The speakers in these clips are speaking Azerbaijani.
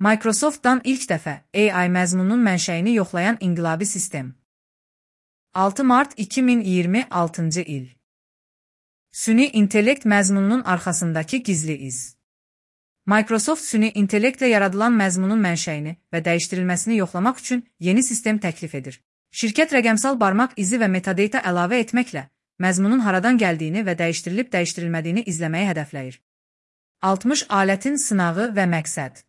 Microsoft'dan ilk dəfə AI məzmununun mənşəyini yoxlayan inqilabi sistem. 6 mart 2026-cı il. Süni intellekt məzmununun arxasındakı gizli iz. Microsoft süni intellektlə yaradılan məzmunun mənşəyini və dəyişdirilməsini yoxlamaq üçün yeni sistem təklif edir. Şirkət rəqəmsal barmaq izi və metadata əlavə etməklə məzmunun haradan gəldiyini və dəyişdirilib dəyişdirilmədiyini izləməyi hədəfləyir. 60 alətin sınağı və məqsəd.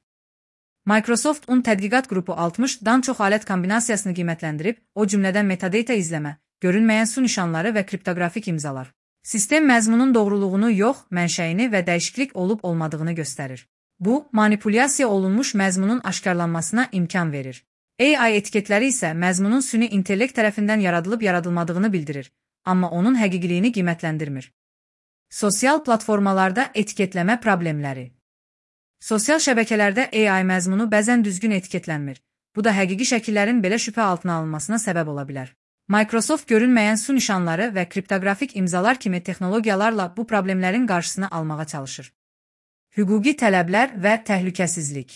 Microsoft tədqiqat qrupu 60-dan çox alət kombinasiyasını qiymətləndirib, o cümlədən metadata izləmə, görünməyən su nişanları və kriptoqrafik imzalar. Sistem məzmunun doğruluğunu yox, mənşəyini və dəyişiklik olub-olmadığını göstərir. Bu, manipulyasiya olunmuş məzmunun aşkarlanmasına imkan verir. AI etiketləri isə məzmunun süni intellekt tərəfindən yaradılıb-yaradılmadığını bildirir, amma onun həqiqiliyini qiymətləndirmir. Sosial platformalarda etiketləmə problemləri. Sosial şəbəkələrdə AI məzmunu bəzən düzgün etiketlənmir. Bu da həqiqi şəkillərin belə şübhə altına alınmasına səbəb ola bilər. Microsoft görünməyən su nişanları və kriptoqrafik imzalar kimi texnologiyalarla bu problemlərin qarşısını almağa çalışır. Hüquqi tələblər və təhlükəsizlik.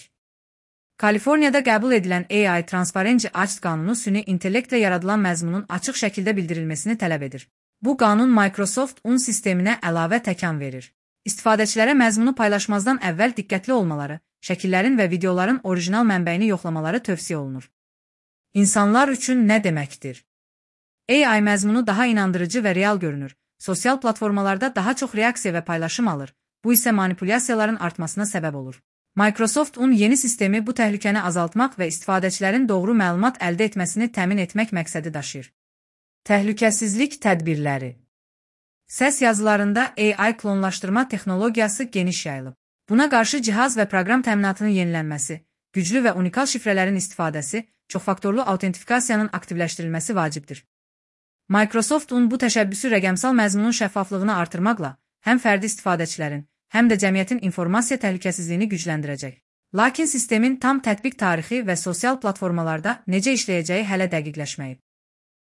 Kaliforniyada qəbul edilən AI Transparency Act qanunu süni intellektlə yaradılan məzmunun açıq şəkildə bildirilməsini tələb edir. Bu qanun Microsoft sisteminə əlavə təkan verir. İstifadəçilərə məzmunu paylaşmazdan əvvəl diqqətli olmaları, şəkillərin və videoların orijinal mənbəyini yoxlamaları tövsiyə olunur. İnsanlar üçün nə deməkdir? AI məzmunu daha inandırıcı və real görünür, sosial platformalarda daha çox reaksiya və paylaşım alır, bu isə manipulyasiyaların artmasına səbəb olur. Microsoft yeni sistemi bu təhlükəni azaltmaq və istifadəçilərin doğru məlumat əldə etməsini təmin etmək məqsədi daşıyır. Təhlükəsizlik tədbirləri. Səs yazılarında AI klonlaşdırma texnologiyası geniş yayılıb. Buna qarşı cihaz və proqram təminatının yenilənməsi, güclü və unikal şifrələrin istifadəsi, çoxfaktorlu autentifikasiyanın aktivləşdirilməsi vacibdir. Microsoft bu təşəbbüsü rəqəmsal məzmunun şəffaflığını artırmaqla həm fərdi istifadəçilərin, həm də cəmiyyətin informasiya təhlükəsizliyini gücləndirəcək. Lakin sistemin tam tətbiq tarixi və sosial platformalarda necə işləyəcəyi hələ dəqiqləşməyib.